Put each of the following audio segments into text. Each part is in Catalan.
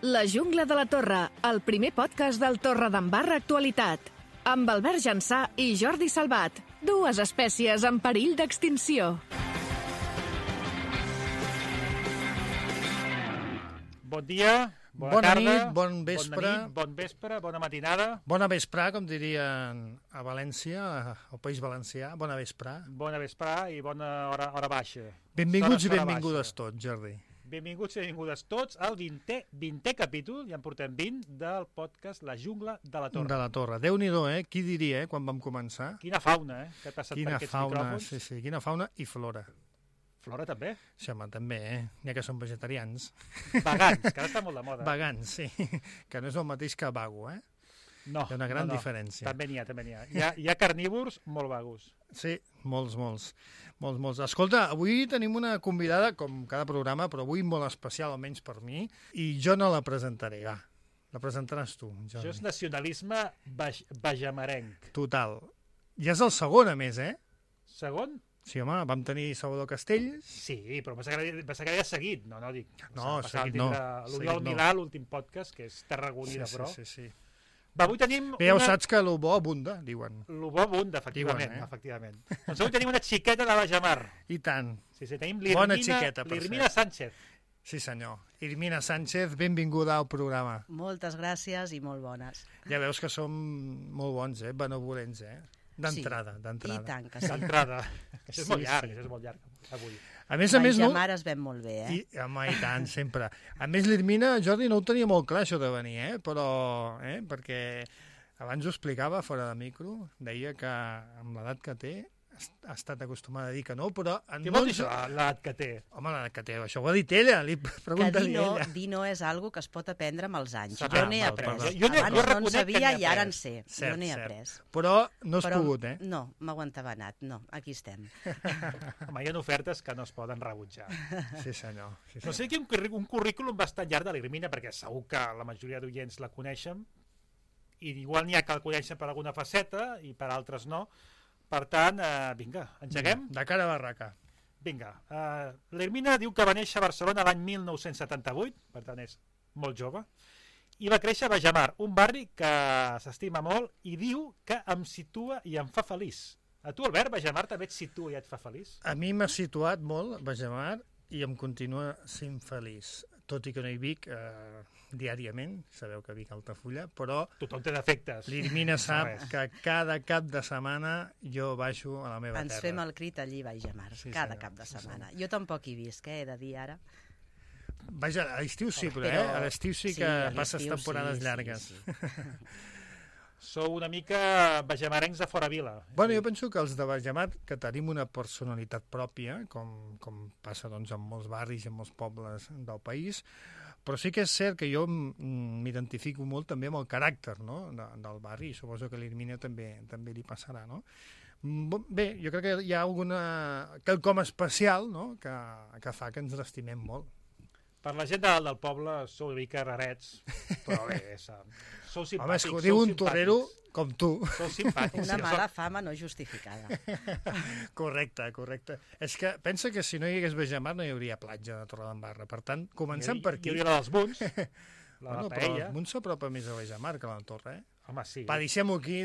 La jungla de la Torre, el primer podcast del Torredembarra Actualitat. Amb Albert Jansà i Jordi Salvat, dues espècies en perill d'extinció. Bon dia, bona tarda, nit, bon vespre. Bon vespre, bona matinada. Bona vesprà, com dirien a València, al País Valencià. Bona vesprà. Bona vesprà i bona hora baixa. Benvinguts i benvingudes tots, Jordi. Benvinguts i benvingudes tots al 20è capítol, ja en portem 20, del podcast La jungla de la Torre. De la Torre. Déu-n'hi-do, Qui diria, quan vam començar? Quina fauna, que ha passat quina per aquests fauna, micròfons. Sí, quina fauna i flora. Flora també? Sí, home, també, N'hi ha que són vegetarians. Vegans, que ara està molt de moda. Vegans, sí. Que no és el mateix que vago, No, hi ha una gran diferència. També n'hi ha. Hi ha carnívors molt vagos. Sí, molts. Escolta, avui tenim una convidada, com cada programa, però avui molt especial, almenys per mi, i jo no la presentaré, va. La presentaràs tu, Jordi. Això és nacionalisme bajamarenc. Total. Ja és el segon, a més, Segon? Sí, home, vam tenir Salvador Castells. Sí, però pensava que havia seguit. No, dic. No, seguit no. L'Oriol Milà, l'últim podcast, que és tarragoní de pro. Sí. Va, avui tenim Bé, ja ho saps que lo bo abunda, diuen. Lo bo abunda, efectivament. Doncs avui tenim una xiqueta de Bajamar. I tant. Sí, tenim Bona xiqueta, per l'Irmina Sánchez. Sí, senyor. Irmina Sánchez, benvinguda al programa. Moltes gràcies i molt bones. Ja veus que som molt bons, benevolents, D'entrada. I tant que sí. D'entrada. Això és molt llarg, avui. A més, Bajamar es ven molt bé, I tant, sempre. A més, l'Irmina, Jordi, no ho tenia molt clar, això de venir, però... perquè abans ho explicava fora de micro, deia que amb l'edat que té ha estat acostumada a dir que no, però... Què vol dir això, l'edat que té? Home, l'edat que té, això ho ha dit ella, li pregunta-li ella. Dir no és algo que es pot aprendre amb els anys. Jo n'he après. Abans no en sabia i ara en sé. Jo n'he après. Però no has pogut, No, m'aguantava anat. No, aquí estem. Home, hi ha ofertes que no es poden rebutjar. Sí, senyor. No sé, un currículum bastant llarg de l'Irmina, perquè segur que la majoria d'oients la coneixen, i igual n'hi ha que la coneixen per alguna faceta i per altres no. Per tant, vinga, engeguem? De cara a barraca. Vinga. L'Irmina diu que va néixer a Barcelona l'any 1978, per tant és molt jove, i va créixer a Bajamar, un barri que s'estima molt i diu que em situa i em fa feliç. A tu, Albert, Bajamar també et situa i et fa feliç? A mi m'ha situat molt Bajamar i em continua sent feliç. Tot i que no hi vic diàriament, sabeu que vic a Altafulla, però... Tothom té defectes. L'Irmina sap que cada cap de setmana jo baixo a la meva terra. Ens fem el crit allí, Bajamar, cada cap de setmana. Jo tampoc hi visc, he de dir ara. Vaja, a l'estiu sí, però a l'estiu sí que passes temporades llargues. Sí. Sou una mica bajamarencs de fora vila. Bueno, jo penso que els de Bajamar, que tenim una personalitat pròpia, com passa doncs, en molts barris i en molts pobles del país, però sí que és cert que jo m'identifico molt també amb el caràcter, no?, del barri, i suposo que a l'Irmina també li passarà, no? Bé, jo crec que hi ha quelcom especial, no?, que fa que ens l'estimem molt. Per la gent del poble sou una mica rarets, però bé, sou simpàtics. Home, és que ho diu un torrero com tu. Sou simpàtics. Una mala fama no justificada. Correcte. És que pensa que si no hi hagués Bajamar no hi hauria platja de Torredembarra. Per tant, comencem per aquí. Hi hauria la dels Munts, la paella. Però els Munts s'apropa més a Bajamar que a la Torre, Home, sí. Va, deixem-ho aquí.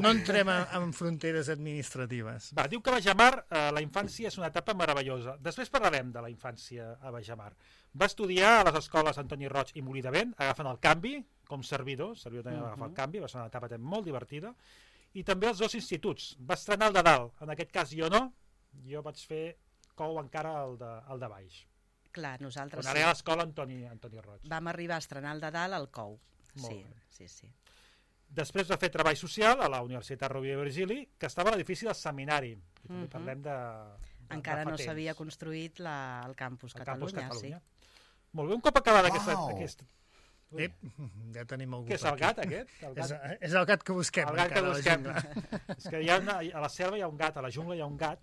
No entrem en fronteres administratives. Va, diu que a Bajamar la infància és una etapa meravellosa. Després parlarem de la infància a Bajamar. Va estudiar a les escoles Antoni Roig i Molí de Vent, agafant el canvi, com servidor també va agafar el canvi, va ser una etapa molt divertida, i també els dos instituts. Va estrenar el de dalt, en aquest cas jo no, jo vaig fer cou encara el de baix. Clar, nosaltres sí. Quan ara a l'escola Antoni Roig. Vam arribar a estrenar el de dalt al cou. Sí. Després va fer treball social a la Universitat Rovira i Virgili, que estava a l'edifici del seminari. I també parlem de encara no s'havia construït el campus Catalunya. Sí. Molt bé, un cop acabada aquesta... Ja tenim algú. Què és el gat, aquest? És el gat que busquem. El gat que busquem. És que a la selva hi ha un gat, a la jungla hi ha un gat,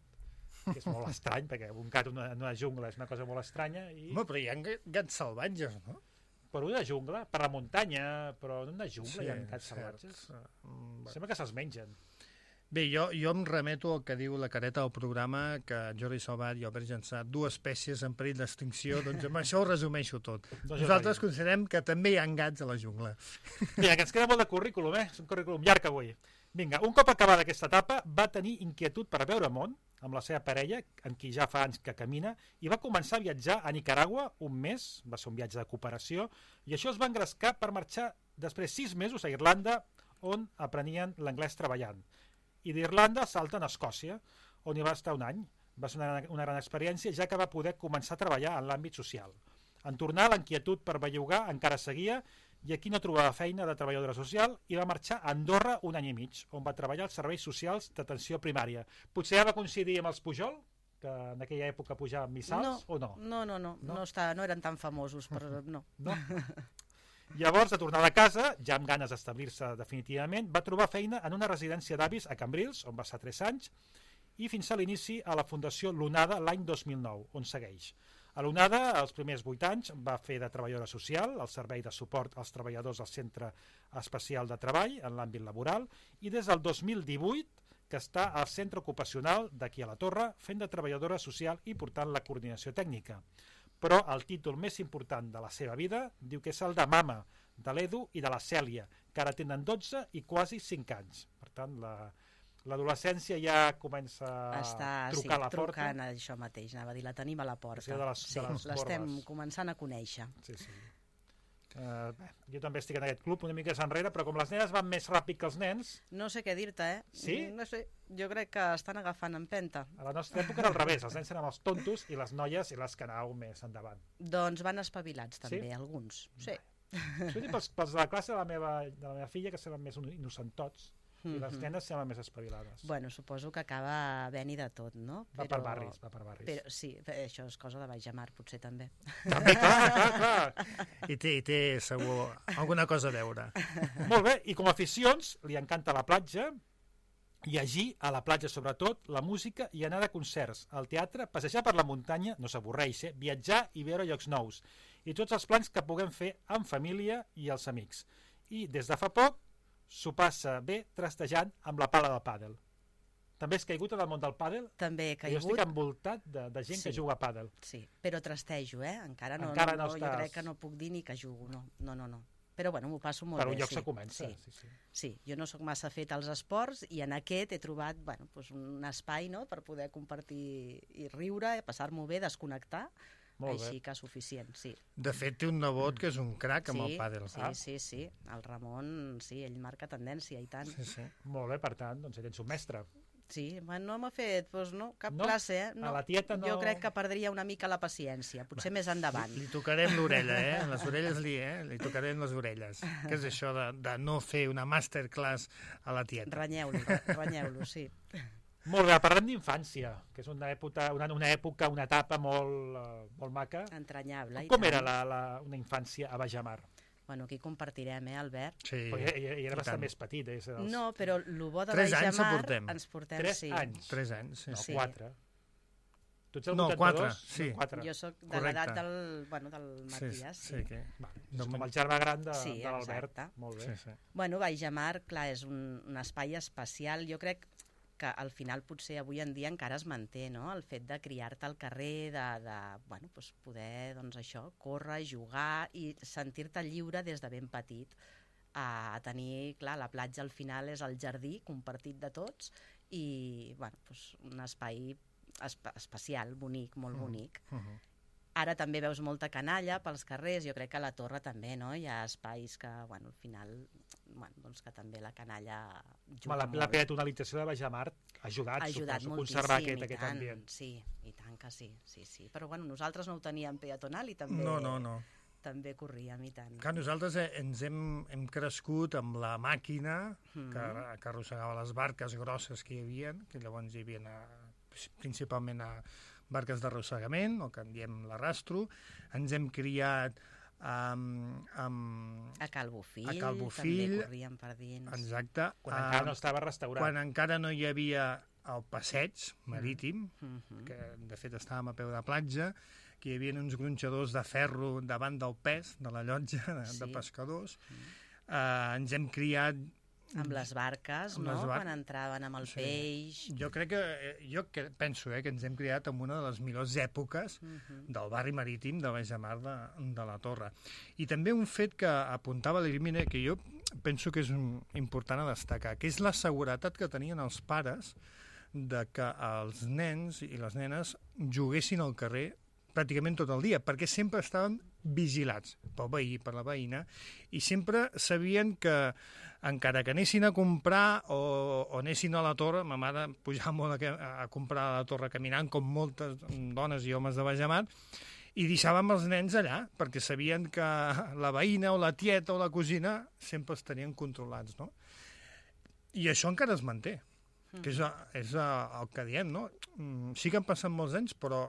que és molt estrany, perquè un gat en una jungla és una cosa molt estranya. Home, però hi ha gats salvatges, no? Per una jungla, per la muntanya, però en una jungla hi ha gats salvatges. Sembla que se'ls mengen. Bé, jo em remeto al que diu la careta del programa, que Jordi Salvat i Albert Jansà, dues espècies en perill d'extinció, doncs amb això ho resumeixo tot. Nosaltres considerem que també hi ha gats a la jungla. Vinga, que ens queda molt de currículum, És un currículum llarg avui. Vinga, un cop acabada aquesta etapa, va tenir inquietud per veure món amb la seva parella, amb qui ja fa anys que camina, i va començar a viatjar a Nicaragua un mes, va ser un viatge de cooperació, i això es va engrescar per marxar després 6 mesos a Irlanda, on aprenien l'anglès treballant. I d'Irlanda salten a Escòcia, on hi va estar un any. Va ser una gran experiència, ja que va poder començar a treballar en l'àmbit social. En tornar, l'inquietud per bellugar encara seguia, i aquí no trobava feina de treballadora social i va marxar a Andorra un any i mig, on va treballar als serveis socials d'atenció primària. Potser ja va coincidir amb els Pujol, que en aquella època pujaven missals, o no? No eren tan famosos, però no. No? Llavors, de tornar a casa, ja amb ganes d'establir-se definitivament, va trobar feina en una residència d'avis a Cambrils, on va estar 3 anys, i fins a l'inici a la Fundació L'Onada l'any 2009, on segueix. A l'Onada, els primers 8 anys, va fer de treballadora social, al servei de suport als treballadors del Centre Especial de Treball, en l'àmbit laboral, i des del 2018 que està al centre ocupacional d'aquí a la Torre, fent de treballadora social i portant la coordinació tècnica. Però el títol més important de la seva vida diu que és el de mama, de l'Edu i de la Cèlia, que ara tenen 12 i quasi 5 anys. Per tant, l'adolescència ja comença a trucar a la porta. Trucant això mateix, anava a dir, la tenim a la porta. L'estem començant a conèixer. Sí. Jo també estic en aquest club una mica enrere, però com les nenes van més ràpid que els nens... No sé què dir-te, Sí? No sé, jo crec que estan agafant empenta. A la nostra època era al revés, els nens eren els tontos i les noies i les que anàveu més endavant. Doncs van espavilats també, alguns. Sí. Això dic pels de la classe de la meva filla, que semblen més innocentots, i les nenes semblen més espavilades. Bueno, suposo que acaba havent-hi de tot, no? Va per barris. Però sí, això és cosa de baix a mar, potser també. També, clar. I té segur alguna cosa a veure. Molt bé, i com a aficions li encanta la platja, llegir a la platja sobretot, la música i anar a concerts, al teatre, passejar per la muntanya, no s'avorreix, viatjar i veure llocs nous, i tots els plans que puguem fer amb família i els amics. I des de fa poc s'ho passa bé trastejant amb la pala del pàdel. També has caigut en el món del pàdel? També he caigut. Jo estic envoltat de gent que juga a pàdel. Sí, però trastejo, Encara no estàs... Jo crec que no puc dir ni que jugo, no. Però bueno, m'ho passo molt bé. Per un lloc se comença. Sí, jo no sóc massa fet als esports i en aquest he trobat un espai per poder compartir i riure, passar-m'ho bé, desconnectar, així que suficient, sí. De fet, té un nebot que és un crac amb el pàdel. Sí. El Ramon, sí, ell marca tendència i tant. Sí. Molt bé, per tant, doncs ell ets un mestre. Sí, no m'ha fet cap classe, No? A la tieta no... Jo crec que perdria una mica la paciència, potser més endavant. Li tocarem l'orella, Les orelles li tocarem les orelles. Què és això de no fer una masterclass a la tieta? Renyeu-lo, sí. Molt bé, parlem d'infància, que és una etapa molt maca. Entranyable. Com era una infància a Baix a Mar? Bueno, aquí compartirem, Albert? Sí. I era bastant més petit, No, però el bo de 3 Baix a Mar... ens portem. 3 anys? 3 anys, sí. No, 4. Tu ets el 82? 4, sí. 4. Jo sóc de l'edat del Matías. Sí. És com el germà gran de l'Albert. Molt bé. Sí. Bueno, Baix a Mar, clar, és un espai especial. Jo crec que al final potser avui en dia encara es manté, no? El fet de criar-te al carrer, de poder, córrer, jugar i sentir-te lliure des de ben petit. A tenir, clar, la platja al final és el jardí compartit de tots i, un espai especial, bonic, molt bonic. Ara també veus molta canalla pels carrers, jo crec que a la Torre també, no? Hi ha espais que, al final, que també la canalla juga molt. La peatonalització de Baix a Mar ha ajudat suposo, a conservar aquest ambient. Sí, i tant que sí. Però nosaltres no ho teníem peatonal i també... No. També corríem i tant. Clar, nosaltres ens hem crescut amb la màquina que arrossegava les barques grosses que hi havia, que llavors hi havia principalment barques d'arrossegament, o que en diem l'arrastro. Ens hem criat a Cal Bofill, també corríem per dins. Exacte. Quan encara no estava restaurat. Quan encara no hi havia el passeig marítim, que de fet estàvem a peu de platja, que hi havia uns gronxadors de ferro davant del pes de la llotja de pescadors. Ens hem criat Amb les barques, no? Quan entraven amb el peix... Jo penso que ens hem criat en una de les millors èpoques del barri marítim de Baix-de-Mar de la Torre. I també un fet que apuntava l'Elimina, que jo penso que és important a destacar, que és la seguretat que tenien els pares de que els nens i les nenes juguessin al carrer pràcticament tot el dia, perquè sempre estaven vigilats pel veí, per la veïna, i sempre sabien que, encara que anessin a comprar o anessin a la torre, ma mare pujava molt a comprar a la torre caminant, com moltes dones i homes de Baix-de-Mar, i deixàvem els nens allà, perquè sabien que la veïna o la tieta o la cosina sempre els tenien controlats, no? I això encara es manté, que és el que diem, no? Sí que han passat molts anys, però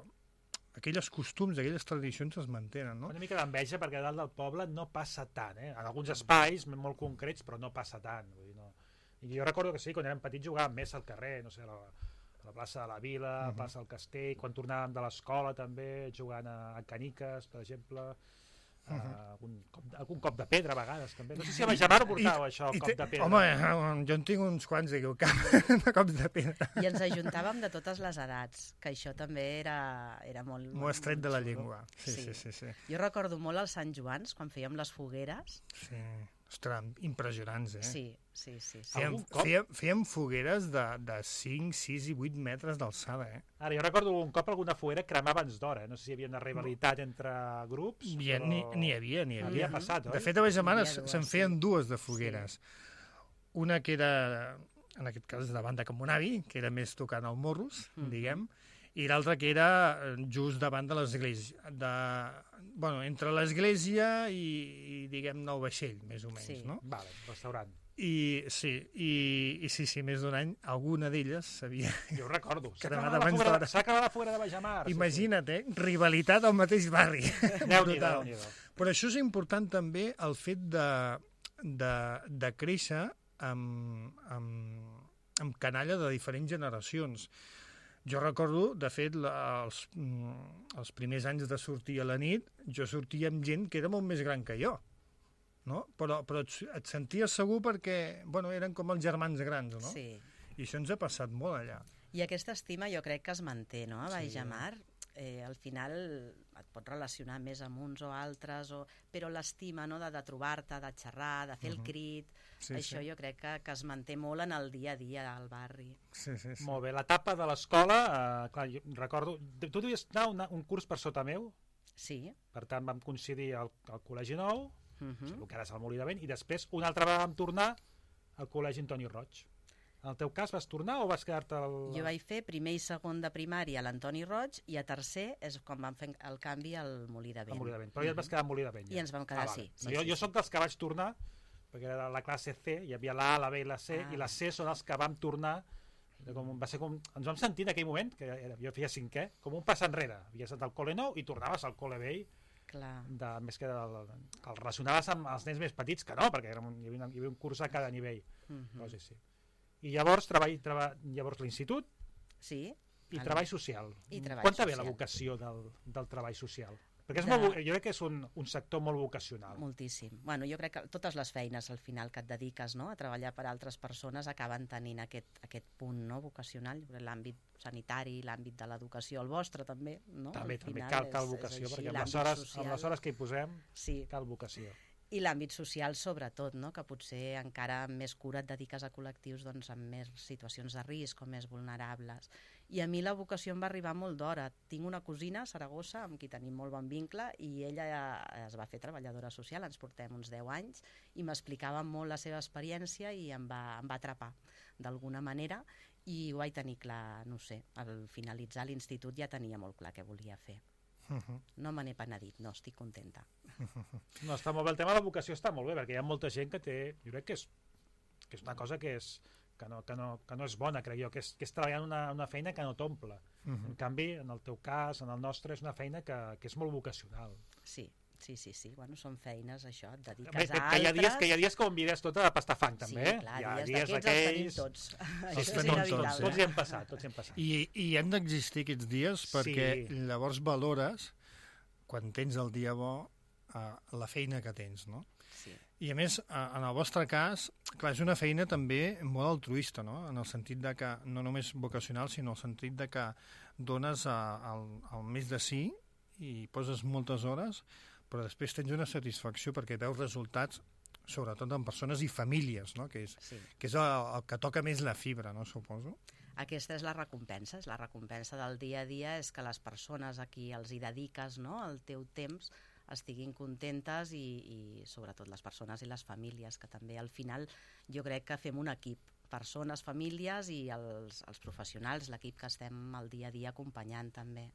aquelles costums, aquelles tradicions es mantenen, no? Una mica d'enveja, perquè a dalt del poble no passa tant, En alguns espais molt concrets, però no passa tant. Vull dir, no. I jo recordo que sí, quan érem petits jugàvem més al carrer, no sé, a la plaça de la Vila, a la plaça del Castell, quan tornàvem de l'escola també, jugant a caniques, per exemple, algun cop de pedra a vegades també. No sé si a Baix-de-Mar ho portàveu, això, el cop de pedra. Home, jo en tinc uns quants aquí al camp de cops de pedra. I ens ajuntàvem de totes les edats, que això també era molt... M'ho has tret de la llengua. Sí. Jo recordo molt els Sant Joans, quan fèiem les fogueres. Sí. Ostres, impressionants, Sí. Fèiem fogueres de 5, 6 i 8 metres d'alçada, Ara, jo recordo un cop alguna foguera cremar abans d'hora, no sé si hi havia una rivalitat entre grups, però... N'hi havia. Havia passat, oi? De fet, a Baix-de-Mar se'n feien dues de fogueres. Una que era, en aquest cas, davant de Can Bonavi, que era més tocant al Morros, diguem, i l'altra que era just davant de l'església, entre l'església i diguem-ne, el vaixell, més o menys, no? Vale, restaurant. I sí, més d'un any, alguna d'elles s'havia... Jo ho recordo. S'ha acabat la foguera de Baix-de-Mar. Imagina't, rivalitat al mateix barri. Déu-n'hi-do. Però això és important també, el fet de créixer amb canalla de diferents generacions. Jo recordo, de fet, els primers anys de sortir a la nit, jo sortia amb gent que era molt més gran que jo, no? Però et senties segur perquè, eren com els germans grans, no? Sí. I això ens ha passat molt allà. I aquesta estima jo crec que es manté, no? A Baix-de-Mar, al final et pots relacionar més amb uns o altres, però l'estima, no?, de trobar-te, de xerrar, de fer el crit, això jo crec que es manté molt en el dia a dia al barri. Sí. Molt bé, l'etapa de l'escola, clar, jo recordo... Tu devies anar un curs per sota meu? Sí. Per tant, vam coincidir al Col·legi Nou, el que ara és el Molí de Vent, i després una altra vegada vam tornar al Col·legi Antoni Roig. En el teu cas vas tornar o vas quedar-te al... Jo vaig fer primer i segon de primària a l'Antoni Roig i a tercer és quan vam fer el canvi al Molí de Vent. Al Molí de Vent, però ja et vas quedar al Molí de Vent. I ens vam quedar, sí. Jo soc dels que vaig tornar, perquè era la classe C, hi havia la A, la B i la C, i la C són els que vam tornar, ens vam sentir en aquell moment, que jo feia cinquè, com un pas enrere. Havies anat al col·le nou i tornaves al col·le vell, més que el relacionaves amb els nens més petits, que no, perquè hi havia un curs a cada nivell. Però sí. I llavors llavors l'institut i treball social. Quan ve la vocació del treball social? Perquè jo crec que és un sector molt vocacional. Moltíssim. Bueno, jo crec que totes les feines al final que et dediques, no?, a treballar per altres persones acaben tenint aquest punt, no?, vocacional. L'àmbit sanitari, l'àmbit de l'educació, el vostre també, no? També cal vocació, perquè amb les hores que hi posem cal vocació. I l'àmbit social, sobretot, no?, que potser encara amb més cura et dediques a col·lectius amb més situacions de risc o més vulnerables. I a mi la vocació em va arribar molt d'hora. Tinc una cosina a Saragossa amb qui tenim molt bon vincle i ella es va fer treballadora social, ens portem uns 10 anys, i m'explicava molt la seva experiència i em va atrapar d'alguna manera i ho vaig tenir clar, no sé, al finalitzar l'institut ja tenia molt clar què volia fer. No me n'he penedit, no, estic contenta. No, està molt bé, el tema de la vocació està molt bé, perquè hi ha molta gent que té, jo crec que és una cosa que no és bona, crec jo, que és treballar en una feina que no t'omple. En canvi, en el teu cas, en el nostre, és una feina que és molt vocacional. Sí. Bueno, són feines, això, et dediques a altres... Hi ha dies que ho envides tot a pastar fang, també, Sí, clar, dies d'aquells els tenim tots. Tots hi hem passat. I han d'existir aquests dies perquè llavors valores, quan tens el dia bo, la feina que tens, no? sí. I a més, en el vostre cas, clar, és una feina també molt altruista, no? En el sentit de que, no només vocacional, sinó en el sentit de que dones el més de si i poses moltes hores, però després tens una satisfacció perquè veus resultats, sobretot en persones i famílies, no? Que és el que toca més la fibra, no? Suposo. Aquesta és la recompensa, la recompensa del dia a dia és que les persones a qui els hi dediques, no?, el teu temps estiguin contentes i sobretot les persones i les famílies, que també al final jo crec que fem un equip, persones, famílies i els professionals, l'equip que estem el dia a dia acompanyant també.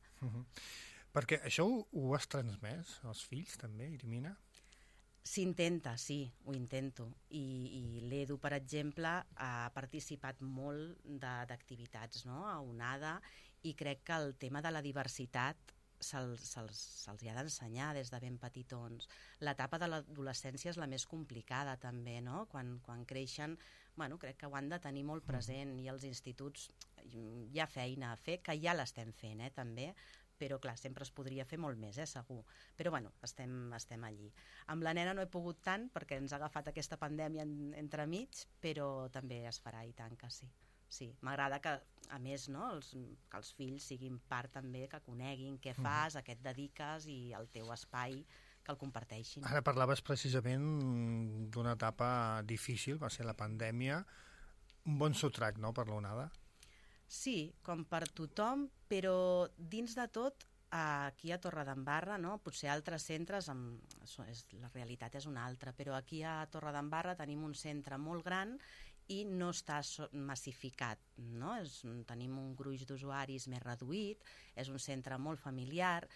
Perquè això ho has transmès als fills també, Irmina? S'intenta, sí, ho intento. I l'Edu, per exemple, ha participat molt d'activitats, no?, a Onada, i crec que el tema de la diversitat se'ls hi ha d'ensenyar des de ben petitons. L'etapa de l'adolescència és la més complicada també, no? Quan creixen, bueno, crec que ho han de tenir molt present, i als instituts hi ha feina a fer, que ja l'estem fent, també, però clar, sempre es podria fer molt més, segur. Però bueno, estem allí. Amb la nena no he pogut tant perquè ens ha agafat aquesta pandèmia entremig, però també es farà, i tant que sí. Sí, m'agrada que, a més, no, que els fills siguin part també, que coneguin què fas, a què et dediques i el teu espai, que el comparteixin. Ara parlaves precisament d'una etapa difícil, va ser la pandèmia. Un bon sotrac, no?, per l'Onada. Sí, com per tothom, però dins de tot, aquí a Torredembarra, no? Potser altres centres, la realitat és una altra, però aquí a Torredembarra tenim un centre molt gran i no està massificat, no? Tenim un gruix d'usuaris més reduït, és un centre molt familiar,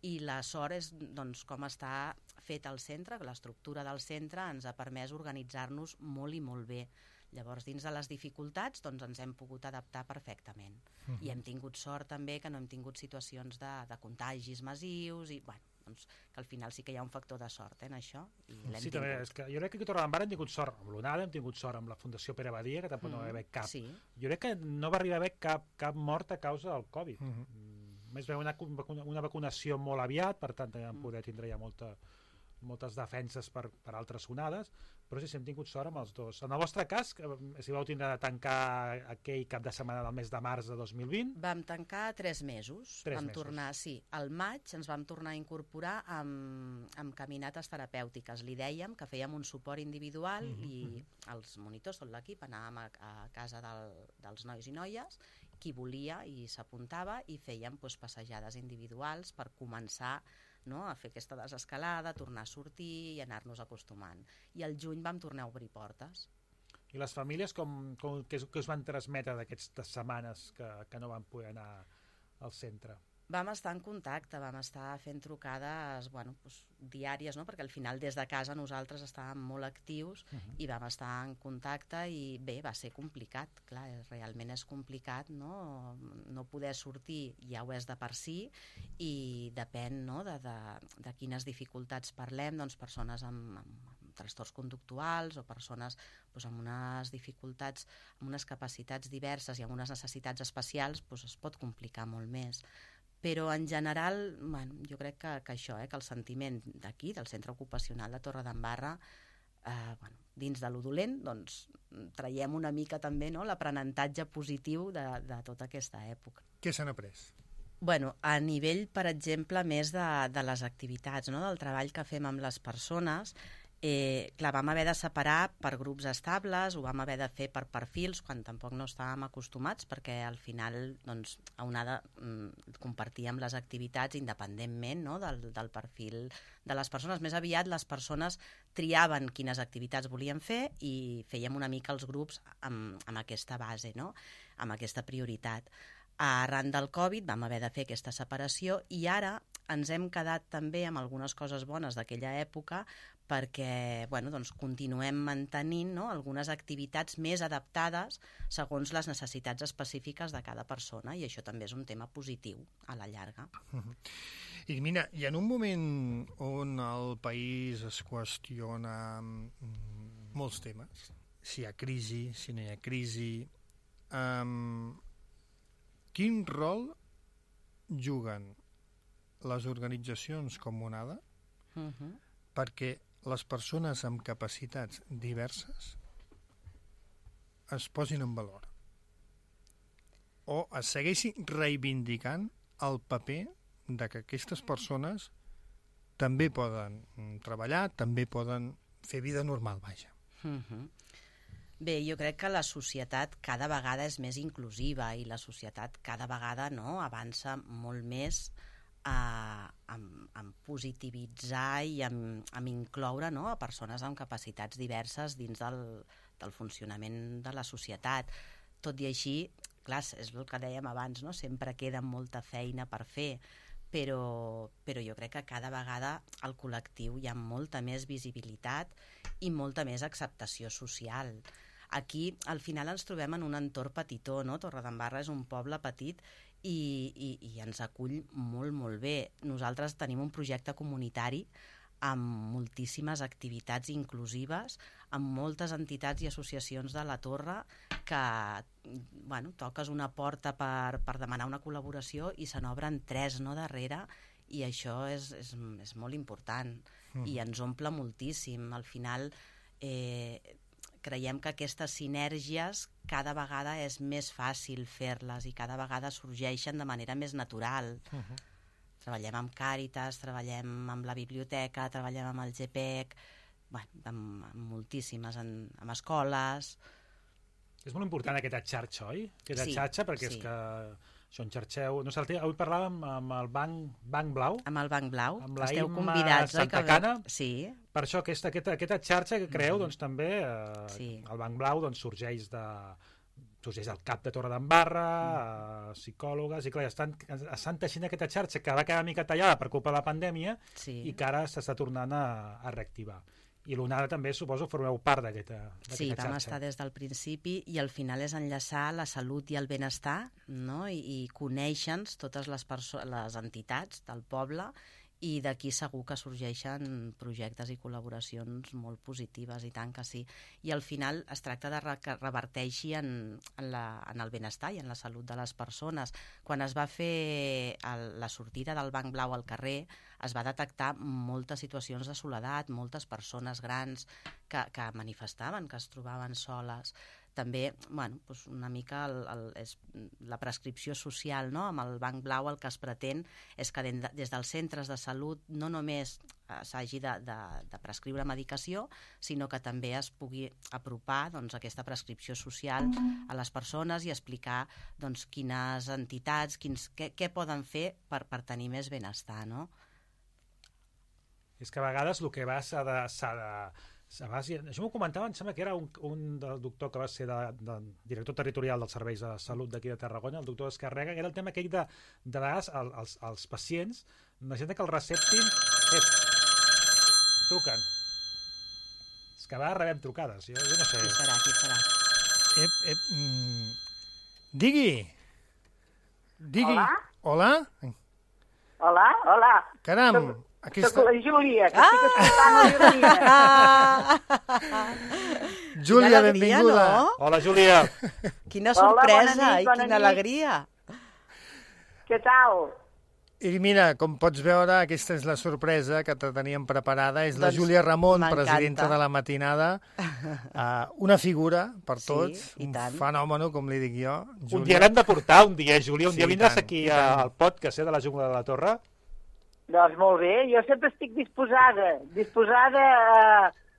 i la sort és, doncs, com està fet el centre, que l'estructura del centre ens ha permès organitzar-nos molt i molt bé. Llavors, dins de les dificultats, doncs ens hem pogut adaptar perfectament. I hem tingut sort també que no hem tingut situacions de contagis massius i, bueno, doncs, que al final sí que hi ha un factor de sort en això, i l'hem tingut. També, és que jo crec que a Torredembarra hem tingut sort amb l'Onada, hem tingut sort amb la Fundació Pere Badia, que tampoc no va haver cap. Sí. Jo crec que no va arribar a haver cap mort a causa del Covid. Més bé una vacunació molt aviat, per tant vam poder tindre ja moltes defenses per altres onades, però sí, hem tingut sort amb els dos. En el vostre cas, si vau tindre de tancar aquell cap de setmana del mes de març de 2020... Vam tancar 3 mesos. Tornar, sí. Al maig ens vam tornar a incorporar amb caminates terapèutiques. Li dèiem que fèiem un suport individual i els monitors, tot l'equip, anàvem a casa dels nois i noies, qui volia i s'apuntava, i fèiem passejades individuals per començar, no?, a fer aquesta desescalada, tornar a sortir i anar-nos acostumant. I al juny vam tornar a obrir portes. I les famílies què us van transmetre d'aquestes setmanes que no van poder anar al centre? Vam estar en contacte, vam estar fent trucades diàries, no?, perquè al final des de casa nosaltres estàvem molt actius i vam estar en contacte, i bé, va ser complicat, clar, realment és complicat, no poder sortir ja ho és de per si, i depèn, no?, de quines dificultats parlem, doncs persones amb trastorns conductuals o persones amb unes dificultats, amb unes capacitats diverses i amb unes necessitats especials, es pot complicar molt més. Però en general, jo crec que això, que el sentiment d'aquí, del Centre Ocupacional de Torredembarra, dins de lo dolent, doncs traiem una mica també, no?, l'aprenentatge positiu de tota aquesta època. Què s'han après? A nivell, per exemple, més de les activitats, no?, del treball que fem amb les persones, clar, vam haver de separar per grups estables, ho vam haver de fer per perfils, quan tampoc no estàvem acostumats, perquè al final, doncs, a Onada compartíem les activitats independentment, no?, del perfil de les persones. Més aviat les persones triaven quines activitats volien fer i fèiem una mica els grups amb aquesta base, no?, amb aquesta prioritat. Arran del Covid vam haver de fer aquesta separació, i ara ens hem quedat també amb algunes coses bones d'aquella època, perquè continuem mantenint, no?, algunes activitats més adaptades segons les necessitats específiques de cada persona, i això també és un tema positiu a la llarga. I mira, i en un moment on el país es qüestiona molts temes, si hi ha crisi, si no hi ha crisi, quin rol juguen les organitzacions com Onada perquè les persones amb capacitats diverses es posin en valor o es segueixi reivindicant el paper de que aquestes persones també poden treballar, també poden fer vida normal, vaja. Bé, jo crec que la societat cada vegada és més inclusiva i la societat cada vegada avança molt més en positivitzar i en incloure a persones amb capacitats diverses dins del funcionament de la societat. Tot i així, clar, és el que dèiem abans, sempre queda molta feina per fer, però jo crec que cada vegada al col·lectiu hi ha molta més visibilitat i molta més acceptació social. Aquí, al final, ens trobem en un entorn petitó, Torredembarra és un poble petit i ens acull molt, molt bé. Nosaltres tenim un projecte comunitari amb moltíssimes activitats inclusives, amb moltes entitats i associacions de la Torre que, toques una porta per demanar una col·laboració i se n'obren 3 darrere, i això és molt important i ens omple moltíssim. Al final creiem que aquestes sinergies cada vegada és més fàcil fer-les i cada vegada sorgeixen de manera més natural. Treballem amb Càritas, treballem amb la biblioteca, treballem amb el GPEC, amb moltíssimes, amb escoles. És molt important aquesta xarxa, oi? Aquesta xarxa, perquè és que això enxarxeu... Avui parlàvem amb el Banc Blau. Amb el Banc Blau. Amb la Esteu Imma convidats, Santacana. Sí. Per això aquesta xarxa que creeu, doncs també el Banc Blau sorgeix del CAP de Torredembarra, psicòlogues, i clar, estan teixint aquesta xarxa que va quedar una mica tallada per culpa de la pandèmia i que ara s'està tornant a reactivar. I l'ONADA també, suposo, formeu part d'aquesta xarxa. Sí, vam estar des del principi i al final és enllaçar la salut i el benestar, i conèixer-nos totes les entitats del poble, i d'aquí segur que sorgeixen projectes i col·laboracions molt positives, i tant que sí. I al final es tracta de que reverteixi en el benestar i en la salut de les persones. Quan es va fer la sortida del Banc Blau al carrer, es va detectar moltes situacions de soledat, moltes persones grans que manifestaven que es trobaven soles. També, una mica és la prescripció social, amb el Banc Blau el que es pretén és que des dels centres de salut no només s'hagi de prescriure medicació, sinó que també es pugui apropar aquesta prescripció social a les persones i explicar quines entitats, què poden fer per tenir més benestar, És que a vegades el que s'ha de... Això m'ho comentava, em sembla que era un del doctor que va ser director territorial dels serveis de salut d'aquí de Tarragona, el doctor Escarrega, que era el tema aquell de vegades els pacients necessiten que el receptin... Truquen. És que a vegades rebem trucades, jo no sé. Qui serà? Digui. Hola? Hola? Hola. Caram, Soc la Júlia, que estic escoltant la Júlia. Júlia, benvinguda. Hola, Júlia. Quina sorpresa i bona quina alegria. Què tal? I mira, com pots veure, aquesta és la sorpresa que te teníem preparada. És la Júlia Ramon, presidenta de la matinada. Una figura per tots, un fenomen, com li dic jo. Un dia l'hem de portar, Júlia. Un dia vindràs aquí al podcast de la Jungla de la Torre. Doncs molt bé, jo sempre estic disposada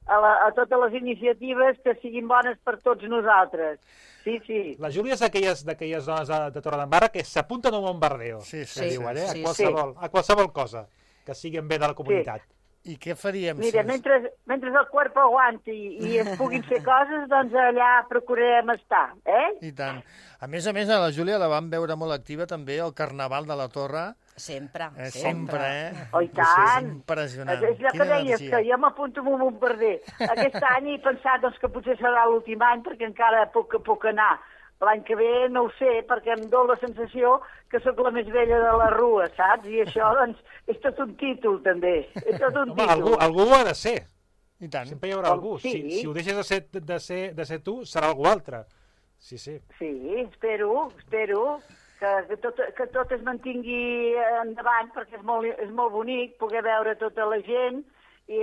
a totes les iniciatives que siguin bones per tots nosaltres. Sí. La Júlia és d'aquelles dones de Torredembarra que s'apunten a un bombardeo. Sí. A qualsevol cosa que sigui en bé de la comunitat. I què faríem? Mira, mentre el cuerpo aguanti i es puguin fer coses, doncs allà procurarem estar, I tant. A més, a la Júlia la vam veure molt activa també al Carnaval de la Torre. Sempre. Oh, i tant. És impressionant. És allò que deies, que jo m'apunto amb un bombarder. Aquest any he pensat que potser serà l'últim any perquè encara puc anar. L'any que ve no ho sé, perquè em dóna la sensació que sóc la més vella de la rua, saps? I això, doncs, és tot un títol, també. És tot un títol. Algú ho ha de ser. I tant. Sempre hi haurà algú. Si ho deixes de ser tu, serà algú altre. Sí. Sí, espero que tot es mantingui endavant, perquè és molt bonic poder veure tota la gent i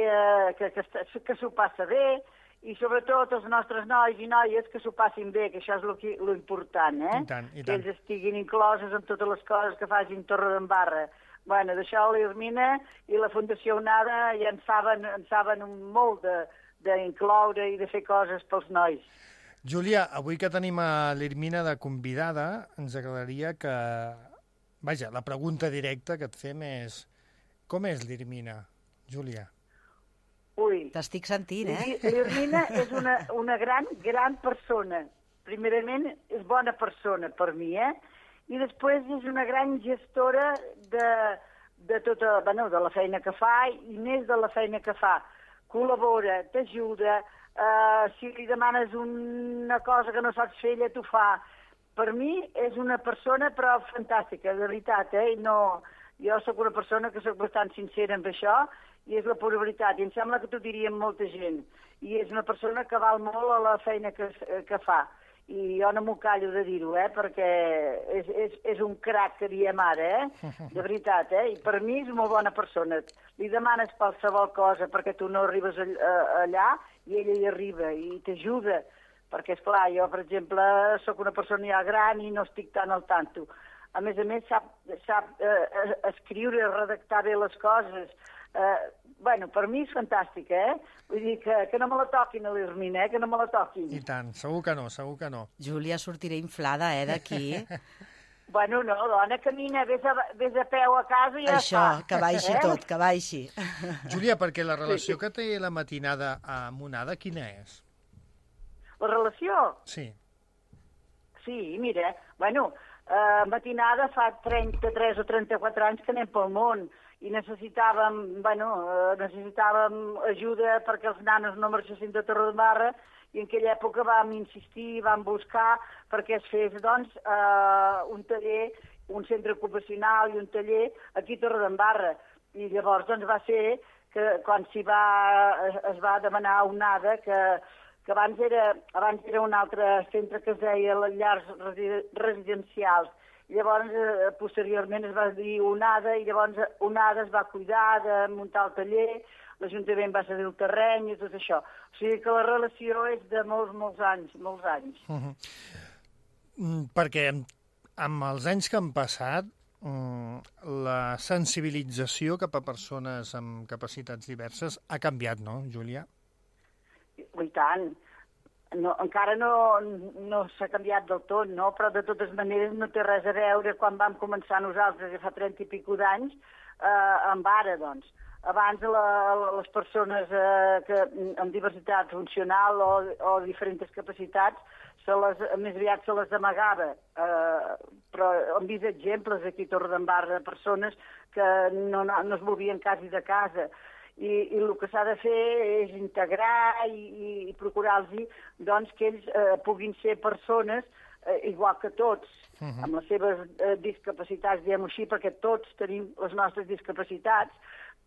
que s'ho passa bé, i sobretot els nostres nois i noies que s'ho passin bé, que això és lo important, I tant. Que ells estiguin incloses en totes les coses que facin Torredembarra. Bueno, d'això l'Irmina i la Fundació Onada ja en saben molt d'incloure i de fer coses pels nois. Júlia, avui que tenim a l'Irmina de convidada, ens agradaria que... Vaja, la pregunta directa que et fem és... Com és l'Irmina, Júlia? Ui. T'estic sentint, L'Irmina és una gran persona. Primerament, és bona persona per mi, I després és una gran gestora de tota, de la feina que fa i més de la feina que fa. Col·labora, t'ajuda, si li demanes una cosa que no saps fer, ella t'ho fa. Per mi és una persona, però fantàstica, de veritat, Jo sóc una persona que sóc bastant sincera amb això, i és la pura veritat, i em sembla que t'ho diria molta gent. I és una persona que val molt a la feina que fa. I jo no m'ho callo de dir-ho, perquè és un crac que diem ara, de veritat, I per mi és una molt bona persona. Li demanes qualsevol cosa perquè tu no arribes allà, i ella hi arriba, i t'ajuda. Perquè, esclar, jo, per exemple, sóc una persona ja gran i no estic tan al tanto. A més, sap escriure, redactar bé les coses. Per mi és fantàstic, Vull dir que no me la toquin a l'Irmina, que no me la toquin. I tant, segur que no. Júlia, sortiré inflada, d'aquí. No, dona, camina, vés a peu a casa i ja Això, que baixi tot, que baixi. Júlia, perquè la relació que té la matinada amb Onada, quina és? La relació? Sí. Sí, mira, matinada fa 33 o 34 anys que anem pel món i necessitàvem ajuda perquè els nanos no marxessin de Torredembarra i en aquella època vam insistir, vam buscar perquè es fes, un taller, un centre ocupacional i un taller aquí a Torredembarra. I llavors, va ser que quan es va demanar a Onada que abans era un altre centre que es deia les llars residencials. Llavors, posteriorment es va dir Onada, i llavors Onada es va cuidar de muntar el taller, l'Ajuntament va cedir el terreny i tot això. O sigui que la relació és de molts anys. Perquè amb els anys que han passat, la sensibilització cap a persones amb capacitats diverses ha canviat, no, Júlia? I tant. Encara no s'ha canviat del tot, però de totes maneres no té res a veure quan vam començar nosaltres, ja fa 30 i escaig d'anys, amb ara, Abans les persones amb diversitat funcional o diferents capacitats, més aviat se les amagava, però hem vist exemples aquí a Torredembarra de persones que no es movien quasi de casa. I el que s'ha de fer és integrar i procurar-los que ells puguin ser persones igual que tots, amb les seves discapacitats, diguem-ho així, perquè tots tenim les nostres discapacitats,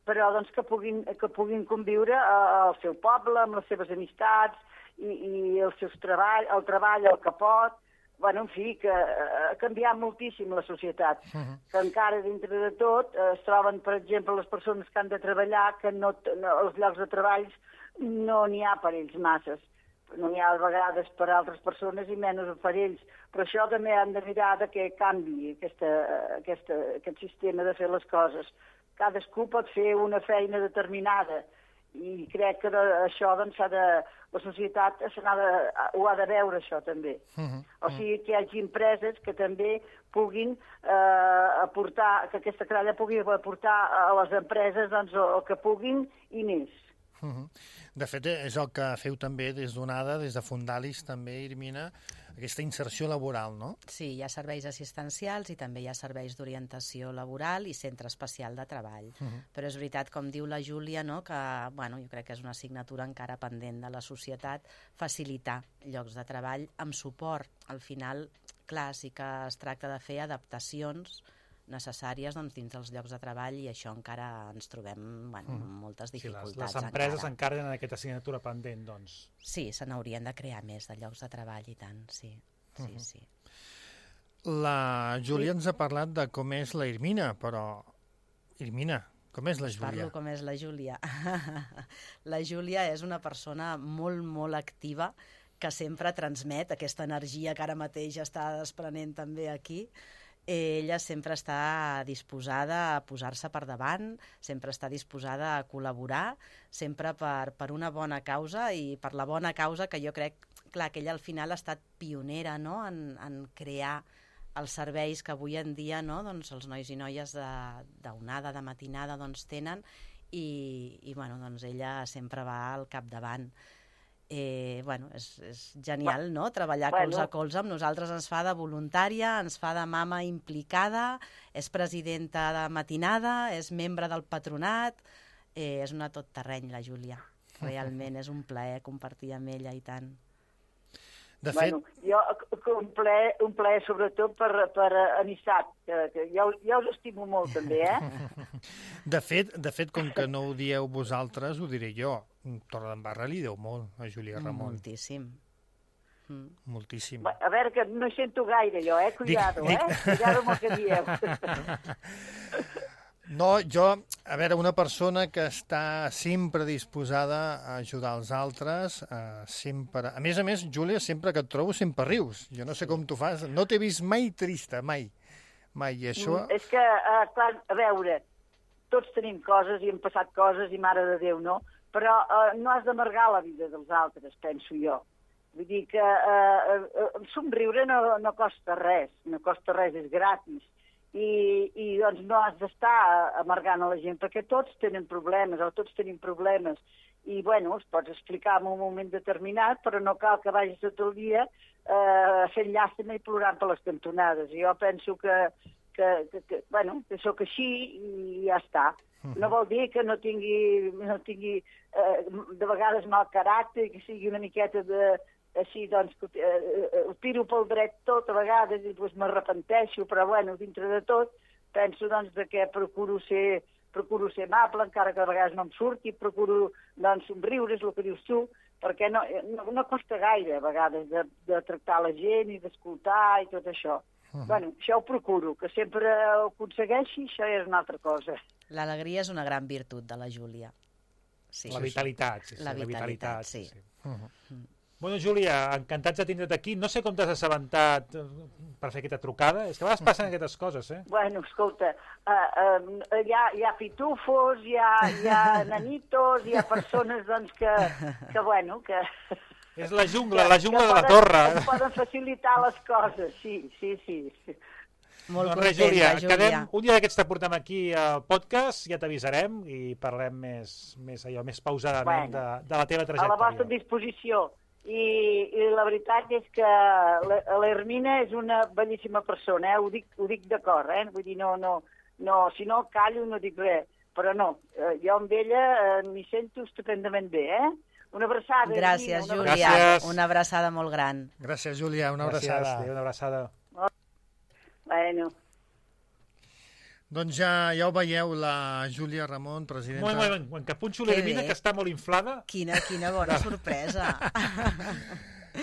però que puguin conviure al seu poble, amb les seves amistats i el treball, el que pot. En fi, que ha canviat moltíssim la societat, que encara dintre de tot es troben, per exemple, les persones que han de treballar, que els llocs de treball no n'hi ha per ells masses. No n'hi ha a vegades per altres persones i menys per ells. Però això també hem de mirar que canvi aquest sistema de fer les coses. Cadascú pot fer una feina determinada i crec que això la societat ho ha de veure, això també. O sigui, que hi hagi empreses que també puguin aportar, que aquesta tralla pugui aportar a les empreses el que puguin i més. De fet, és el que feu també des d'Onada, des de Fundalis també, Irmina, aquesta inserció laboral, no? Sí, hi ha serveis assistencials i també hi ha serveis d'orientació laboral i centre especial de treball. Però és veritat, com diu la Júlia, que jo crec que és una assignatura encara pendent de la societat, facilitar llocs de treball amb suport. Al final, clar, sí que es tracta de fer adaptacions necessàries dins dels llocs de treball i això encara ens trobem moltes dificultats. Les empreses encara tenen aquesta assignatura pendent, doncs. Sí, se n'haurien de crear més de llocs de treball i tant, sí. La Júlia ens ha parlat de com és la Irmina, però, Irmina, Com és la Us Júlia? parlo com és la Júlia. La Júlia és una persona molt, molt activa, que sempre transmet aquesta energia que ara mateix està desprenent també aquí. Ella sempre està disposada a posar-se per davant, sempre està disposada a col·laborar, sempre per una bona causa, i per la bona causa que jo crec, clar, que ella al final ha estat pionera, no?, en crear els serveis que avui en dia, no?, doncs els nois i noies d'onada, de matinada, doncs tenen, i bueno, doncs ella sempre va al capdavant. Bueno, és genial, no?, treballar colze a colze amb nosaltres. Ens fa de voluntària, ens fa de mama implicada, és presidenta de matinada, és membre del patronat, és una tot terreny, la Júlia. Realment és un plaer compartir amb ella, i tant. De fet... Jo un plaer sobretot per amistat, que jo us estimo molt també, De fet, com que no ho dieu vosaltres, ho diré jo. Torredembarra li deu molt a Júlia Ramon. Moltíssim. Moltíssim. A veure, que no hi sento gaire jo, Cuidado, Cuidado amb el que dieu. No, jo, a veure, una persona que està sempre disposada a ajudar els altres, sempre... A més, Júlia, sempre que et trobo sempre rius. Jo no sé com tu fas. No t'he vist mai trista, mai. Mai, i això... És que, clar, a veure, tots tenim coses i hem passat coses i mare de Déu, no? Però no has d'amargar la vida dels altres, penso jo. Vull dir que somriure no costa res, és gratis. I doncs no has d'estar amargant a la gent, perquè tots tenen problemes, tots tenim problemes, i bueno, els pots explicar en un moment determinat, però no cal que vagis tot el dia fent llàstima i plorant per les cantonades. Jo penso que sóc així i ja està. No vol dir que no tingui de vegades mal caràcter, que sigui una miqueta així, doncs, ho tiro pel dret tot a vegades i doncs m'arrepenteixo, però bueno, dintre de tot penso doncs que procuro ser amable, encara que a vegades no em surti, procuro doncs somriure, és el que dius tu, perquè no costa gaire a vegades de tractar la gent i d'escoltar i tot això. Bueno, això ho procuro, que sempre ho aconsegueixi, això és una altra cosa. L'alegria és una gran virtut de la Júlia. Sí. La vitalitat, La vitalitat, sí. Bueno, Júlia, encantats de tindre't aquí. No sé com t'has assabentat per fer aquesta trucada. És que a vegades passen aquestes coses, Bueno, escolta, hi ha pitufos, hi ha nanitos, hi ha persones, doncs, que... És la jungla de la torre. Que poden facilitar les coses, sí. Molt doncs res, contenta, Júlia. Un dia d'aquests te portem aquí al podcast, ja t'avisarem i parlem més pausadament de la teva trajectòria. A la vostra disposició. I la veritat és que l'Hermina és una bellíssima persona, ho dic d'acord, vull dir, si no callo no dic res, però no, jo amb ella m'hi sento estupendament bé, Una abraçada. Gràcies, Júlia. Gràcies. Una abraçada molt gran. Gràcies, Júlia, una abraçada. Gràcies, una abraçada. Bueno. Doncs ja ho veieu, la Júlia Ramon, presidenta... Moment, que punxo l'Hermina, que està molt inflada. Quina bona sorpresa.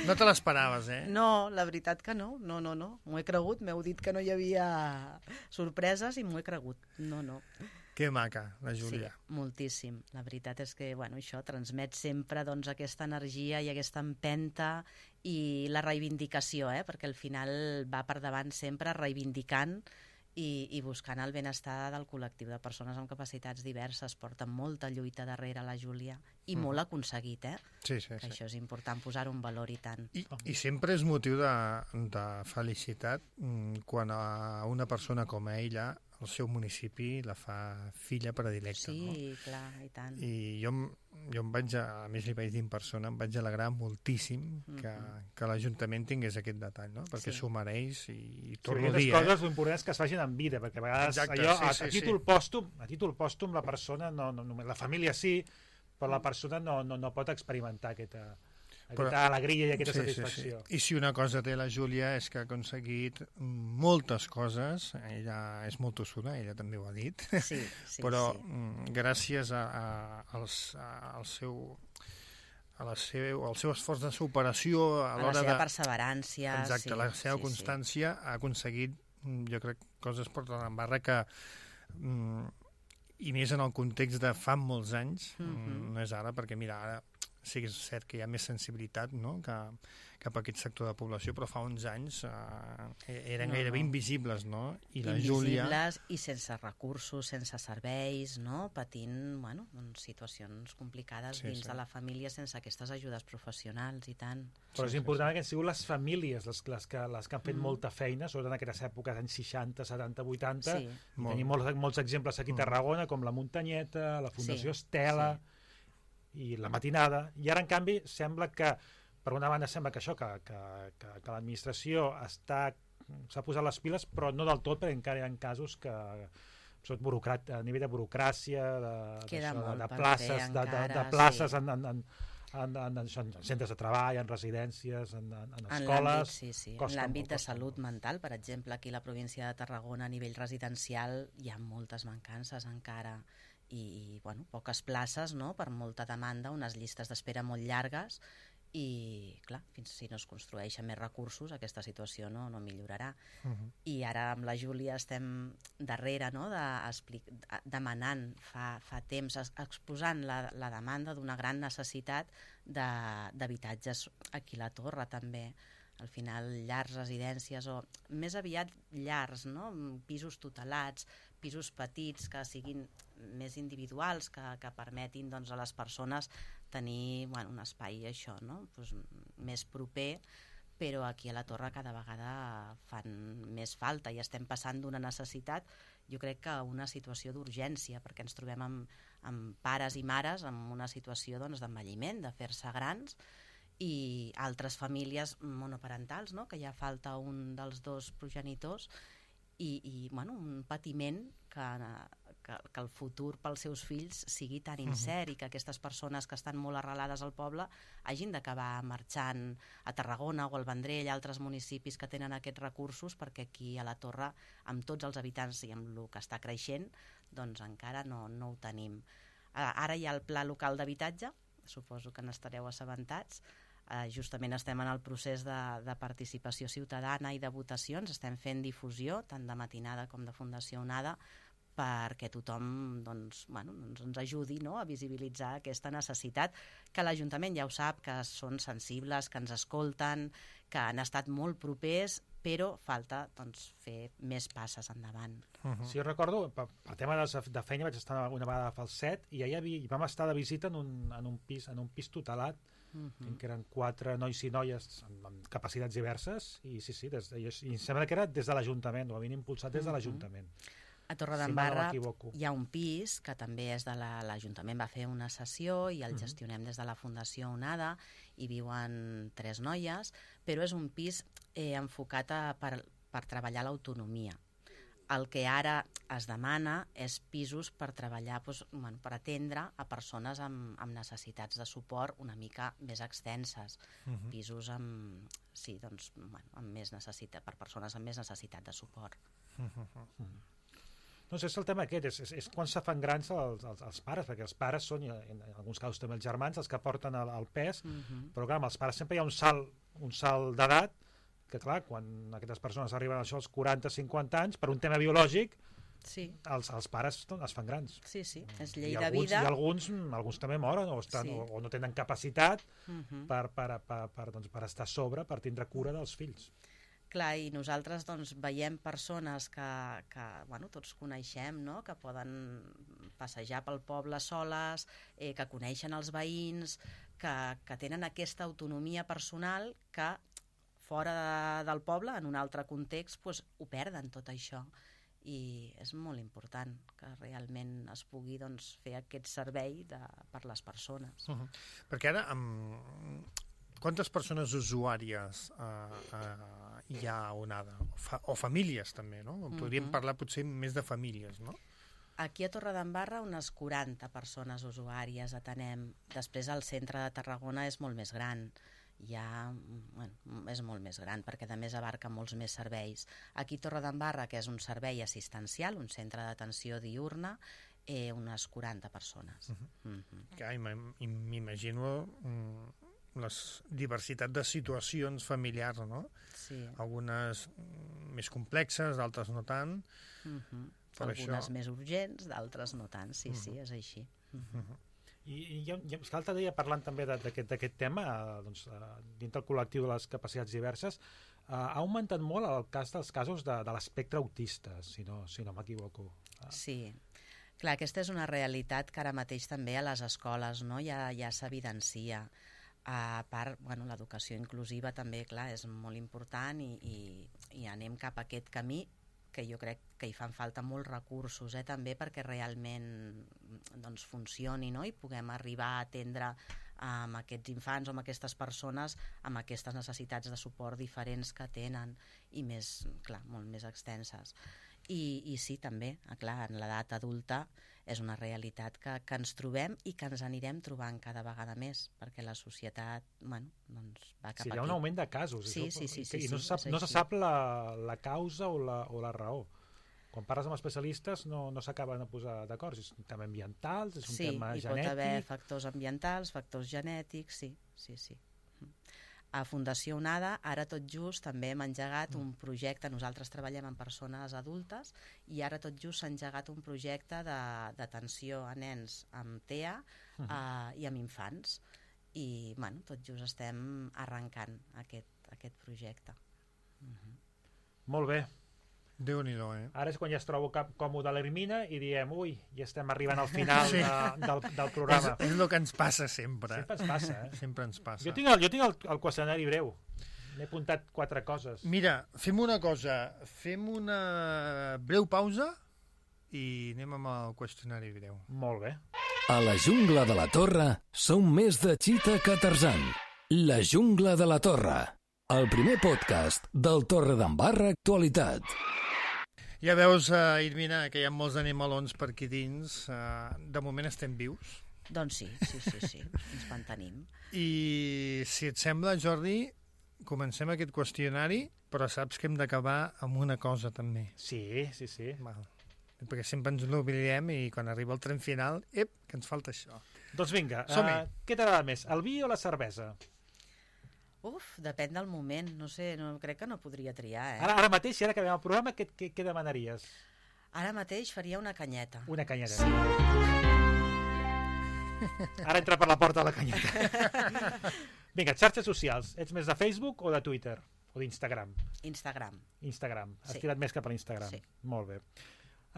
No te l'esperaves, No, la veritat que no. M'ho he cregut, m'heu dit que no hi havia sorpreses i m'ho he cregut. No. Que maca, la Júlia. Sí, moltíssim. La veritat és que, això transmet sempre doncs, aquesta energia i aquesta empenta i la reivindicació, perquè al final va per davant sempre reivindicant i buscant el benestar del col·lectiu de persones amb capacitats diverses. Porta molta lluita darrere la Júlia i molt aconseguit, Sí. Això és important posar-ho en valor i tant. I sempre és motiu de felicitat quan a una persona com ella el seu municipi la fa filla predilecta. Sí, clar, i tant. I jo em vaig, a més li vaig dir en persona, em vaig alegrar moltíssim que l'Ajuntament tingués aquest detall, no? Perquè s'ho mereix i torno a dir... coses l'important és que es facin en vida, perquè a vegades a títol pòstum la persona, la família sí, però la persona no pot experimentar aquesta alegria i aquesta satisfacció. I si una cosa té la Júlia és que ha aconseguit moltes coses, ella és molt tossuda, ella també ho ha dit, però gràcies al seu esforç de superació a la seva perseverància, exacte, la seva constància, ha aconseguit, jo crec, coses per Torredembarra que i més en el context de fa molts anys, no és ara, perquè mira, ara sí que és cert que hi ha més sensibilitat, no?, cap a aquest sector de població, però fa uns anys eren gairebé invisibles, no? I la Júlia... Invisibles i sense recursos, sense serveis, no?, patint, bueno, doncs, situacions complicades dins de la família sense aquestes ajudes professionals i tant. Però és important que han sigut les famílies les que han fet molta feina, sobretot en aquestes èpoques, anys 60, 70, 80. Sí. Tenim molts exemples aquí a Tarragona, com la Muntanyeta, la Fundació Estela i la Matinada. I ara, en canvi, sembla que per una banda sembla que això, que l'administració s'ha posat les piles, però no del tot, perquè encara hi ha casos que a nivell de burocràcia, de places en centres de treball, en residències, en escoles... En l'àmbit de salut mental, per exemple, aquí a la província de Tarragona, a nivell residencial, hi ha moltes mancances encara i bueno, poques places, no?, per molta demanda, unes llistes d'espera molt llargues, i clar, fins si no es construeixen més recursos aquesta situació no millorarà. I ara amb la Júlia estem darrere, no?, demanant fa temps, exposant la demanda d'una gran necessitat d'habitatges aquí a la Torre també. Al final, llars, residències, o més aviat llars, no?, pisos tutelats, pisos petits que siguin més individuals, que permetin doncs, a les persones tenir un espai això, no?, doncs, més proper, però aquí a la Torre cada vegada fan més falta i estem passant d'una necessitat, jo crec que una situació d'urgència, perquè ens trobem amb pares i mares en una situació d'envelliment, de fer-se grans, i altres famílies monoparentals, no?, que ja falta un dels dos progenitors i un patiment que el futur pels seus fills sigui tan incert i que aquestes persones que estan molt arrelades al poble hagin d'acabar marxant a Tarragona o al Vendrell, altres municipis que tenen aquests recursos, perquè aquí a la Torre, amb tots els habitants i amb el que està creixent, doncs encara no ho tenim. Ara hi ha el Pla Local d'Habitatge, suposo que n'estareu assabentats. Justament estem en el procés de participació ciutadana i de votacions, estem fent difusió tant de Matinada com de Fundació Onada perquè tothom ens ajudi, no?, a visibilitzar aquesta necessitat, que l'Ajuntament ja ho sap, que són sensibles, que ens escolten, que han estat molt propers, però falta fer més passes endavant. Sí, jo recordo, per tema de feina vaig estar una vegada a Falset i allà vam estar de visita en un pis tutelat, que eren 4 nois i noies amb capacitats diverses i i sembla que era des de l'Ajuntament, ho havien impulsat des de l'Ajuntament. A Torredembarra hi ha un pis que també és de l'Ajuntament, va fer una sessió i el gestionem des de la Fundació Onada, hi viuen 3 noies, però és un pis enfocat per treballar l'autonomia. El que ara es demana és pisos per treballar, per atendre a persones amb necessitats de suport una mica més extenses, pisos amb més necessitat, per persones amb més necessitat de suport. Doncs és el tema aquest, és quan se fan grans els pares, perquè els pares són, en alguns casos també els germans, els que porten el pes, però clar, amb els pares sempre hi ha un salt d'edat, que clar, quan aquestes persones arriben als 40-50 anys, per un tema biològic, els pares es fan grans. Sí, és llei de vida. I alguns també moren o no tenen capacitat per estar a sobre, per tindre cura dels fills. Clar, i nosaltres veiem persones que tots coneixem, no?, que poden passejar pel poble soles, que coneixen els veïns, que tenen aquesta autonomia personal que fora del poble, en un altre context, ho perden tot això. I és molt important que realment es pugui fer aquest servei per les persones. Perquè ara, quantes persones usuàries hi ha a Onada? O famílies també, no? Podríem parlar potser més de famílies, no? Aquí a Torredembarra unes 40 persones usuàries atenem. Després el centre de Tarragona és molt més gran. És molt més gran perquè a més abarca molts més serveis. Aquí a Torredembarra, que és un servei assistencial, un centre d'atenció diurna, unes 40 persones. M'imagino la diversitat de situacions familiars, no? Sí. Algunes més complexes, d'altres no tant. Per Algunes això... més urgents, d'altres no tant, sí, és així. I l'altre dia, parlant també d'aquest tema, doncs, dintre el col·lectiu de les capacitats diverses, ha augmentat molt el cas dels casos de l'espectre autista, si no m'equivoco. Sí, clar, aquesta és una realitat que ara mateix també a les escoles, no? ja s'evidencia. A part, l'educació inclusiva també, clar, és molt important i anem cap a aquest camí que jo crec que hi fan falta molts recursos també perquè realment doncs, funcioni, no? I puguem arribar a atendre amb aquests infants o amb aquestes persones amb aquestes necessitats de suport diferents que tenen i més, clar, molt més extenses. I sí, també, clar, en l'edat adulta és una realitat que ens trobem i que ens anirem trobant cada vegada més, perquè la societat doncs va cap aquí. Sí, hi ha un augment de casos. Sí. I no se sap la causa o la raó. Quan parles amb especialistes no s'acaben de posar d'acord. És un tema ambiental, és un tema genètic... Sí, hi pot haver factors ambientals, factors genètics, sí. A Fundació Onada, ara tot just també hem engegat un projecte, nosaltres treballem amb persones adultes i ara tot just s'ha engegat un projecte d'atenció a nens amb TEA i amb infants i tot just estem arrencant aquest projecte. Molt bé. Déu-n'hi-do, Ara és quan ja es trobo còmode l'Hermina i diem, ui, ja estem arribant al final del programa. És el que ens passa sempre. Sempre ens passa, Sempre ens passa. Jo tinc el qüestionari breu. M'he apuntat 4 coses. Mira, fem una cosa. Fem una breu pausa i anem amb el qüestionari breu. Molt bé. A la jungla de la Torre som més de Chita que Tarzan. La jungla de la Torre. El primer podcast del Torredembarra Actualitat. Ja veus, Irmina, que hi ha molts animalons per aquí dins. De moment estem vius. Doncs sí, ens mantenim. I si et sembla, Jordi, comencem aquest qüestionari, però saps que hem d'acabar amb una cosa també. Sí. Val. Perquè sempre ens n'oblidem i quan arriba el tren final, que ens falta això. Doncs vinga, què t'agrada més, el vi o la cervesa? Depèn del moment, no sé, crec que no podria triar, Ara mateix, si ara acabem el programa, què demanaries? Ara mateix faria una canyeta. Una canyeta. Sí. Ara entra per la porta la canyeta. Vinga, xarxes socials. Ets més de Facebook o de Twitter? O d'Instagram? Instagram. Has tirat més cap a l'Instagram. Sí. Molt bé.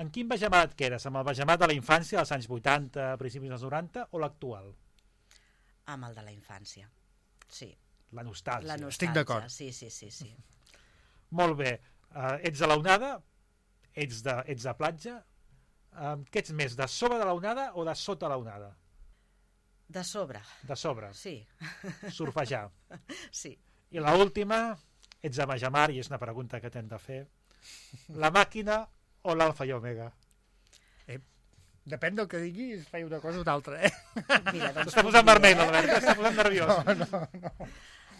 En quin vegemat quedes? Amb el vegemat de la infància dels anys 80, principis dels 90 o l'actual? Amb el de la infància, sí. La nostàlgia. Estic d'acord. Sí. Molt bé. Ets de la onada? Ets de platja? Què ets més, de sobre de la onada o de sota la onada? De sobre. De sobre? Sí. Surfejar. Sí. I l'última, ets de Majamar, i és una pregunta que t'hem de fer. La màquina o l'alfa i omega? Depèn del que diguis, faig una cosa o d'altra, Mira, doncs S'està posant vermell, l'Albert, s'està posant nerviós. No.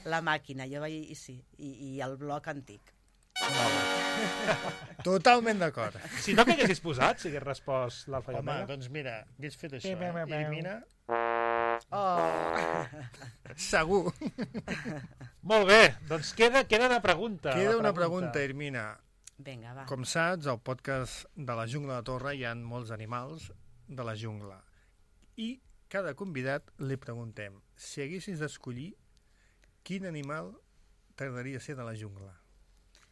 La màquina, jo vaig... Sí, i el bloc antic. Totalment d'acord. Si no, què haguessis posat, si hagués respost l'alfa i Home, omega? doncs mira, hagués fet això, Irmina. Segur. Molt bé, doncs queda una pregunta. Queda una pregunta, Irmina. Vinga, va. Com saps, al podcast de la Jungla de Torre hi ha molts animals de la jungla. I cada convidat li preguntem, si haguessis d'escollir, quin animal t'agradaria ser de la jungla?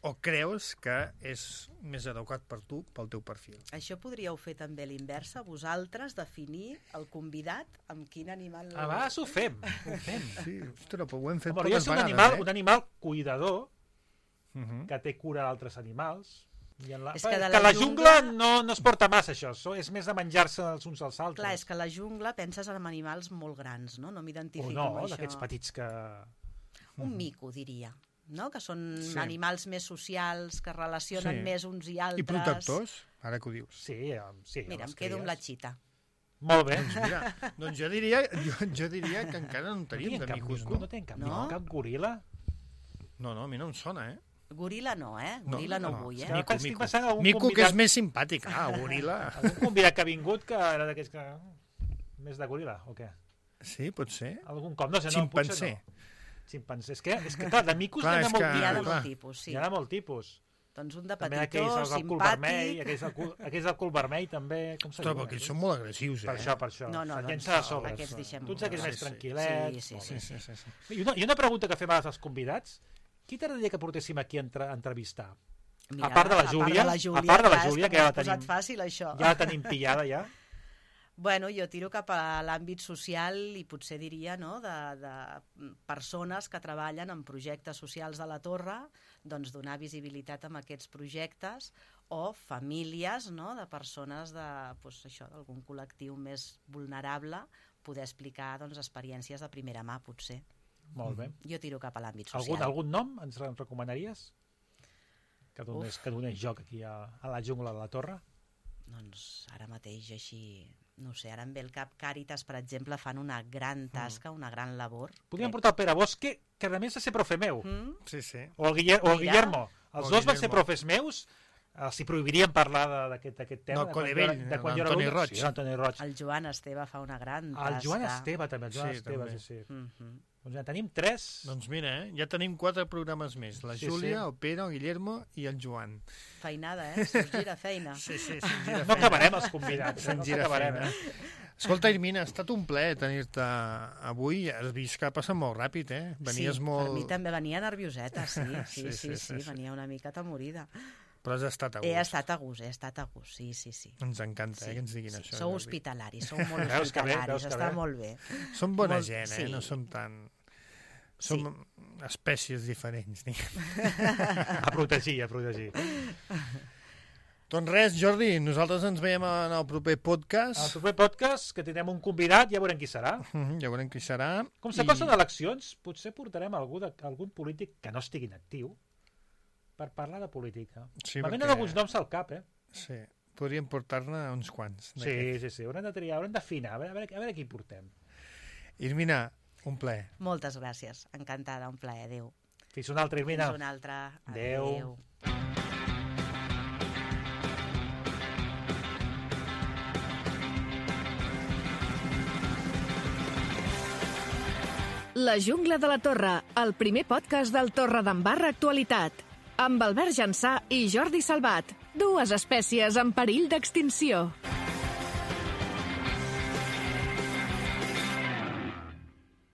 O creus que és més adequat per tu, pel teu perfil? Això podríeu fer també l'inversa, vosaltres definir el convidat amb quin animal... A vegades ho fem. Sí, ostres, però ho hem fet Home, poques vegades, un animal cuidador, que té cura d'altres animals. I És que la jungla no es porta massa, això. És més de menjar-se els uns als altres. Clar, és que a la jungla penses en animals molt grans, no? No m'identifico amb això. d'aquests petits que... Un mico, diria. No? Que són animals més socials, que relacionen més uns i altres. I protectors, ara que ho dius. Sí. Mira, em quedo amb la xita. Molt bé. Doncs jo diria que encara no en tenim de micos, no? No tenen cap goril·la? No, a mi no em sona, Goril·la no, Goril·la no vull, Mico, que és més simpàtic. Goril·la. Algun convidat que ha vingut que era d'aquells que... Més de goril·la, o què? Sí, pot ser. Algun cop, no sé, Ximpanzé. Ximpanzé. És que clar, de micos clar, n'hi ha molt tipus. Hi ha de molt tipus, sí. Hi ha de molt tipus. Doncs un de També petitó, aquells del cul vermell, simpàtic... aquells del cul vermell també, com se Ostres, diu? però aquells són molt agressius, Per això. No, Se'n doncs llença de sobre. aquests deixem... Tu ets aquells més Sí, tranquil·lets. Sí. I una pregunta que fem als convidats. Qui t'agradaria que portéssim aquí a entrevistar? Mira, a part de la Júlia, clar, que ja la posat tenim, fàcil, això. ja la tenim pillada, ja. Bueno, jo tiro cap a l'àmbit social i potser diria, no?, de persones que treballen en projectes socials de la Torre, doncs donar visibilitat a aquests projectes, o famílies, no?, de persones d'algun col·lectiu més vulnerable, poder explicar doncs, experiències de primera mà, potser. Molt bé. Jo tiro cap a l'àmbit social. Algun nom ens recomanaries? Que donés joc aquí a la jungla de la Torre? Doncs ara mateix així, no sé, ara em ve el cap. Càritas, per exemple, fan una gran tasca, una gran labor. Podríem portar el Pere Bosque, que a més va ser profe meu. Sí. O el Guillermo. Els dos van ser Guillermo. profes meus. Si prohibirien parlar d'aquest tema. No, Conevell, l'Antoni Roig. Sí, l'Antoni Roig. El Joan Esteve fa una gran tasca. El Joan Esteve també, també. sí. Doncs ja tenim 3. Doncs mira, ja tenim 4 programes més. La Júlia, el Pere, el Guillermo i el Joan. Feinada, se'ns gira feina. Sí, se'ns gira No feina. acabarem els convidats. Se'ns gira feina. Escolta, Irmina, ha estat un plaer tenir-te avui. Has vist que ha passat molt ràpid, eh? Venies molt... Per mi també venia nervioseta, sí, venia una mica atemorida. Però has estat a gust. He estat a gust, sí. Ens encanta, que ens diguin això. Sou Jordi. hospitalaris, sou molt Veus que bé, hospitalaris, està molt bé. Som bona gent, sí. no som tan... Som espècies diferents, diguem. A protegir. Doncs res, Jordi, nosaltres ens veiem en el proper podcast. Al proper podcast, que tindrem un convidat, ja veurem qui serà. Ja veurem qui serà. Com s'acosten eleccions, potser portarem algun polític que no estigui inactiu per parlar de política. Sí, M'ha venen perquè- alguns noms al cap, eh? Sí, podríem portar-ne uns quants. Sí, haurem de triar, haurem d'afinar, a veure qui portem. Irmina, un plaer. Moltes gràcies, encantada, un plaer, adéu. Fins una altra, Irmina. Fins una altra, Adéu. La jungla de la Torre, el primer podcast del Torredembarra Actualitat. Amb Albert Jansà i Jordi Salvat, dues espècies en perill d'extinció.